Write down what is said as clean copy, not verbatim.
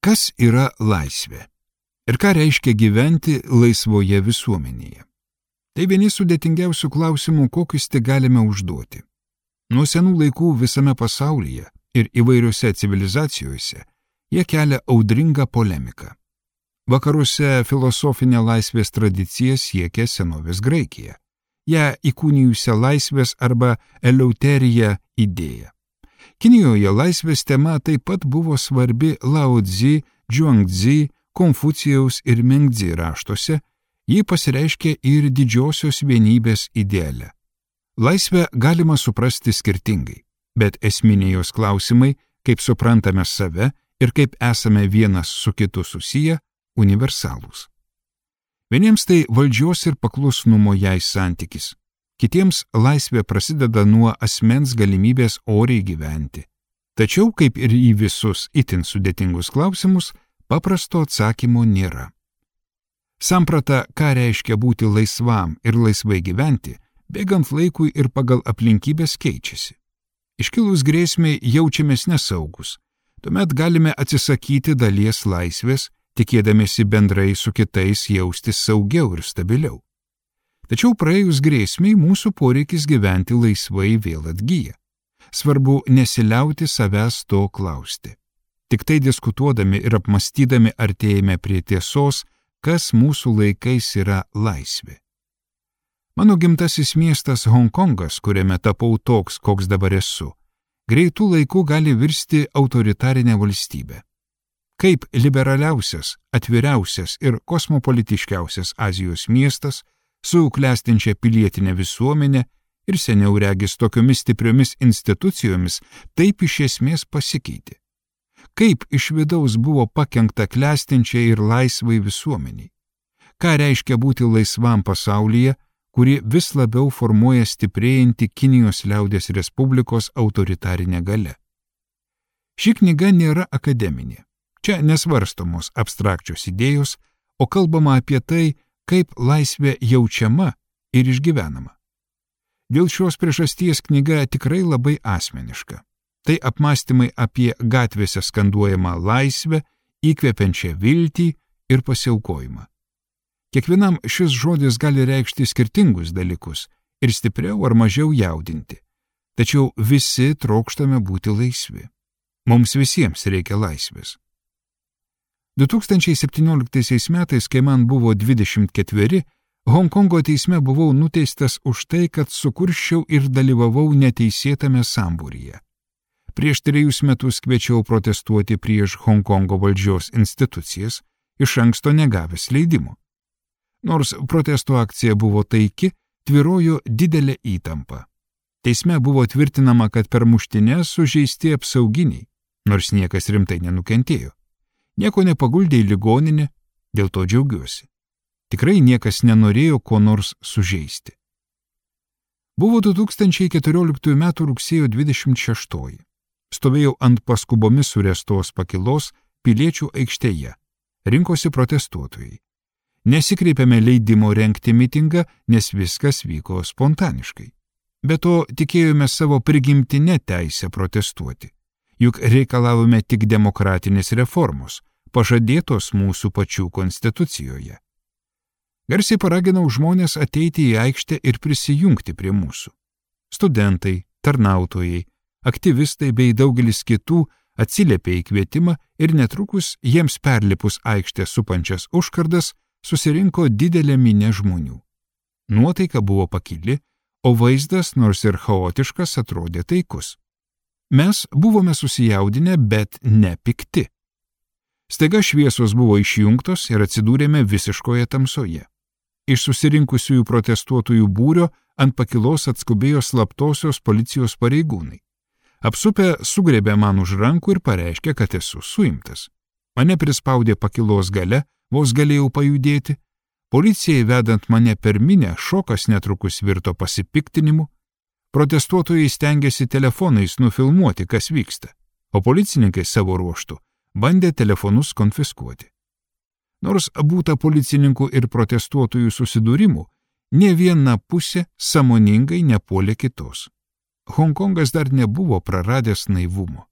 Kas yra laisvė? Ir ką reiškia gyventi laisvoje visuomenėje? Tai vieni sudėtingiausių klausimų, kokius tik galime užduoti. Nuo senų laikų visame pasaulyje ir įvairiose civilizacijose jie kelia audringą polemiką. Vakaruose filosofinė laisvės tradicija siekia senovės Graikiją, ją įkūnijusią laisvės arba eleuteriją idėją. Kinijoje laisvės tema taip pat buvo svarbi Lao Tzu, Zhuangzi, Konfucijaus ir Mengzi raštuose, ji pasireiškia ir didžiosios vienybės ideale. Laisvę galima suprasti skirtingai, bet esminiai jos klausimai, kaip suprantame save ir kaip esame vienas su kitu susiję, universalūs. Vieniems tai valdžios ir paklusnumo jai santykis, kitiems laisvė prasideda nuo asmens galimybės oriai gyventi. Tačiau, kaip ir į visus itin sudėtingus klausimus, paprasto atsakymo nėra. Samprata, ką reiškia būti laisvam ir laisvai gyventi, bėgant laikui ir pagal aplinkybės keičiasi. Iškilus grėsmei jaučiamės nesaugus, tuomet galime atsisakyti dalies laisvės, tikėdamiesi bendrai su kitais jaustis saugiau ir stabiliau. Tačiau praėjus grėsmiai mūsų poreikis gyventi laisvai vėl atgyja. Svarbu nesiliauti savęs to klausti. Tik tai diskutuodami ir apmastydami artėjame prie tiesos, kas mūsų laikais yra laisvė. Mano gimtasis miestas Honkongas, kuriame tapau toks, koks dabar esu, greitų laikų gali virsti autoritarinę valstybę. Kaip liberaliausias, atviriausias ir kosmopolitiškiausias Azijos miestas, su klestinčia pilietinė visuomenė ir seniau regis tokiomis stipriomis institucijomis, taip iš esmės pasikeitė. Kaip iš vidaus buvo pakenkta klestinčiai ir laisvai visuomeniai? Ką reiškia būti laisvam pasaulyje, kuri vis labiau formuoja stiprėjanti Kinijos liaudies Respublikos autoritarinė galia? Ši knyga nėra akademinė. Čia nesvarstomos abstrakčios idėjos, o kalbama apie tai, kaip laisvė jaučiama ir išgyvenama. Dėl šios priežasties knyga tikrai labai asmeniška. Tai apmąstymai apie gatvėse skanduojamą laisvę, įkvepiančią viltį ir pasiaukojimą. Kiekvienam šis žodis gali reikšti skirtingus dalykus ir stipriau ar mažiau jaudinti. Tačiau visi trokštame būti laisvi. Mums visiems reikia laisvės. 2017 metais, kai man buvo 24, Honkongo teisme buvau nuteistas už tai, kad sukurščiau ir dalyvavau neteisėtame sambūryje. Prieš 3 metus kviečiau protestuoti prieš Honkongo valdžios institucijas, iš anksto negavęs leidimo. Nors protesto akcija buvo taiki, tvyrojo didelė įtampa. Teisme buvo tvirtinama, kad per muštines sužeisti apsauginiai, nors niekas rimtai nenukentėjo. Nieko nepaguldė į ligoninę, dėl to džiaugiuosi. Tikrai niekas nenorėjo ko nors sužeisti. Buvo 2014 m. rugsėjo 26. Stovėjau ant paskubomis surestos pakilos Piliečių aikštėje. Rinkosi protestuotojai. Nesikreipėme leidimo rengti mitingą, nes viskas vyko spontaniškai. Be to tikėjome savo prigimtinę teisę protestuoti. Juk reikalavome tik demokratinės reformos, pažadėtos mūsų pačių konstitucijoje. Garsiai paraginau žmonės ateiti į aikštę ir prisijungti prie mūsų. Studentai, tarnautojai, aktyvistai bei daugelis kitų atsiliepė į kvietimą ir netrukus jiems perlipus aikštę supančias užkardas susirinko didelė minia žmonių. Nuotaika buvo pakili, o vaizdas, nors ir chaotiškas, atrodė taikus. Mes buvome susijaudinę, bet ne pikti. Staiga šviesos buvo išjungtos ir atsidūrėme visiškoje tamsoje. Iš susirinkusiųjų protestuotojų būrio ant pakilos atskubėjo slaptosios policijos pareigūnai. Apsupę sugriebė man už rankų ir pareiškė, kad esu suimtas. Mane prispaudė pakilos gale, vos galėjau pajudėti. Policijai vedant mane per minią, šokas netrukus virto pasipiktinimu. Protestuotojai stengiasi telefonais nufilmuoti, kas vyksta, o policininkai savo ruožtu bandė telefonus konfiskuoti. Nors būta policininkų ir protestuotojų susidūrimų, nė viena pusė sąmoningai nepuolė kitos. Honkongas dar nebuvo praradęs naivumo.